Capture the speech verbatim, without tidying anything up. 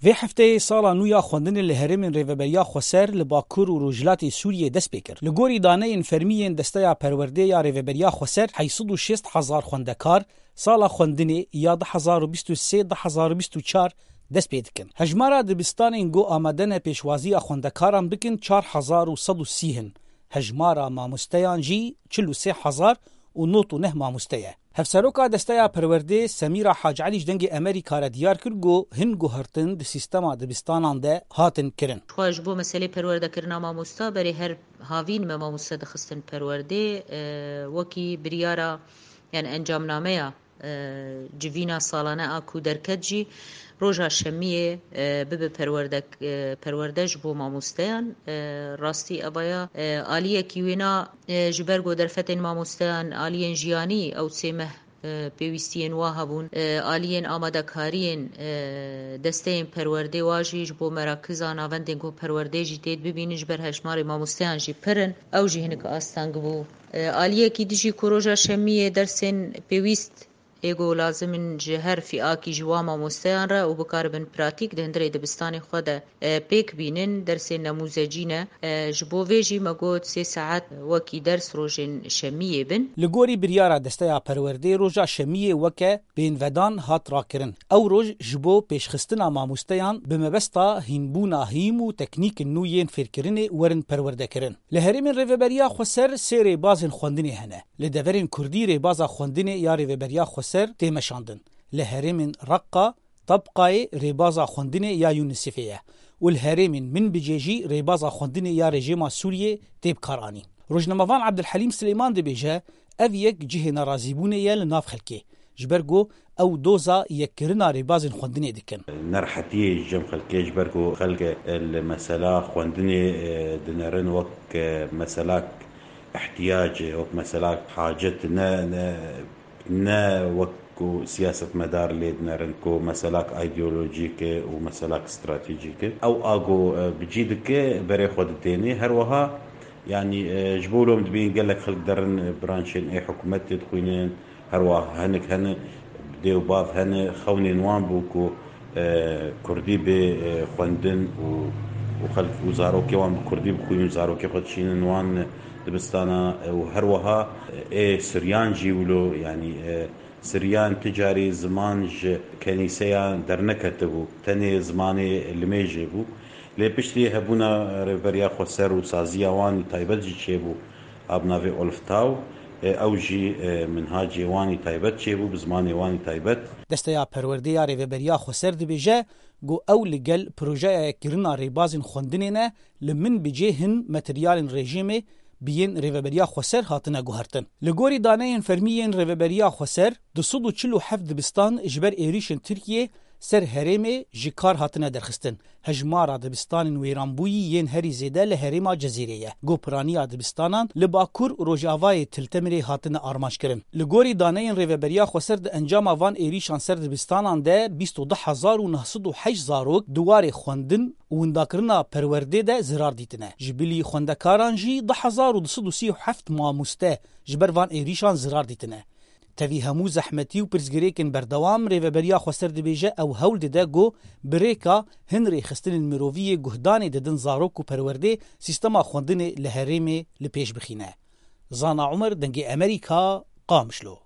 Vê hefteyê sala nû ya xwendinê li herêmên Rêveberiya Xweser li Bakur û Rojhilatê Sûriyê dest pê kir. Li gorî daneyên fermî yên Desteya Perwerdê ya Rêveberiya Xweser, heyt sed û şêst hezar xwendekar sala xwendinê ya du hezar û bîst û sê du hezar û bîst û çar dest pê dikin. Hejmara dibistanên ku amade ne pêşwaziya xwendekaran bikin çar hezar û sed û sî hin. Hejmara mamosteyan jî çil û sê hezar û nod û neh mamoste ye. Hevseroka Desteya Perwerdê Semîra Hacî Elî ji Dengê Amerîka re diyar kir ku hin guhertin di sîstema dibistanan de hatin kirin. Xwe ji bo meselê perwerdekirina mamosta berê her havîn me mamoste dixistin perwerdê, e, wekî biryara, yani encamnameya, e, civîna salane a ku derket jî roja şemiyê, e, bibe perwerdek-, e, perwerde ji bo mamosteyan. E, rastî evaya, e, aliyekî wêna, e, ji ber ku derfetên mamosteyan aliyên jiyanî ew sê meh, e, pêwîstiyên wa hebûn, e, aliyên amadekariyên, e, desteyên perwerdê wa jî ji bo merakiza navendên ku perwerdê jî tê bibînin ji ber hejmarê mamosteyan jî pir in. Ew jî hinek asteng bû. E, aliyekî dijî ku roja şemiyê dersên pêwîst ê ku lazim in ji her fîakî ji wa mamosteyan re û bikaribin pratîk di hundirê dibistanê xwe de, e, pêk bînin, dersên nemûzecî ne. E, ji bo vê jî me got sê saet wekî ders rojên şemiyê bin. Li gorî biryara Desteya Perwerdê roja şemiyê weke pênvedan hat rakirin. Ew roj ji bo pêşxistina mamosteyan bi mebesta hînbûna hîm û teknîkên nû yên fêrkirinê werin perwerdekirin. Li herêmên Rêveberiya Xweser sê rêbazên xwendinê hene. Li deverên Kurdî rêbaza xwendinê ya Rêveberiya Xweser tê meşandin. Li herêmên Reqqa, Tebqayê rêbaza xwendinê ya UNICEFê ye û li herêmên Minbicê jî rêbaza xwendinê ya rejîma Sûriyê tê bikaranîn. Rojnamevan Ebdulhelîm Silêman dibêje, ev yek cihê nerazîbûnê ye li nav xelkê, ji ber ku ew doza yekkirina rêbazên xwendinê dikin. Nerehetiyê ji cem xelkê, ji ber ku xelk li mesela xwendinê, e, dinerin wek, e, meselak ihtiyacê, wek meselak hacet, ne, ne, ne wek ku siyasetmedar lê dinerin ku meselak îdeolojîk e û meselak stratejîk e. Ew a ku, e, bi cî dike, berê xwe ditênê. Her wiha, yanî, e, ji bo lom dibîn gelek xelk derin, e, branşên ê hikûmetê dixwînin, her wiha hinek hene, dê û bav hene, xewnên wan bû ku, e, Kurdî bê, e, xwendin û, û xelk û zarokê wan bi Kurdî bixwînin, zarokê xwe dişînin wan dibistana, e, û her wiha, e, ê Siryan jî wilo, yanî, e, Siryan ti carî ziman ji kenîseyan derneketibû, tenê zimanê limêjê bû. Lê piştî hebûna Rêveberiya Xweser û saziya wan î taybet jî çêbû, a bi navê Olftau, e, ew jî, e, minhacê wan î taybet çêbû, bi zimanê wan î taybet. Desteya Perwerdê ya Rêveberiya Xweser dibêje ku ew li gel projeya yekkirina rêbazên xwendinê ne, li Minbicê hin materyalên rejîmê bi yên Rêveberiya Xweser hatine guhertin. Li gorî daneyên fermî yên Rêveberiya Xweser, du sed û çil û heft dibistan ji ber êrîşên Tirkiyê ser herêmê ji kar hatine derxistin. Hejmara dibistanên wêranbûyî yên herî zêde li herêma Cezîrê ye. Ku piraniya dibistanan li Bakur û Rojavayê Til Temirê hatine armanc kirin. Li gorî daneyên Rêveberiya Xweser, di encama van êrîşan ser dibistanan de bîst û du hezar û neh sed û heşt zarok di warê xwendin û windakirina perwerdê de zirar dîtine. Ji bilî xwendekaran jî du hezar û du sed û sî û heft mamoste ji ber van êrîşan zirar dîtine. Tevî hemû zehmetî û pirsgirêkên berdewam, Rêveberiya Xweser dibêje ew hewl dide ku bi rêka hin rêxistinên mirovî yê guhdanê didin zarok û perwerdê sîstema xwendinê li herêmê li pêş bixîne. Zana Umer, Dengê Amerîka, Qamişlo.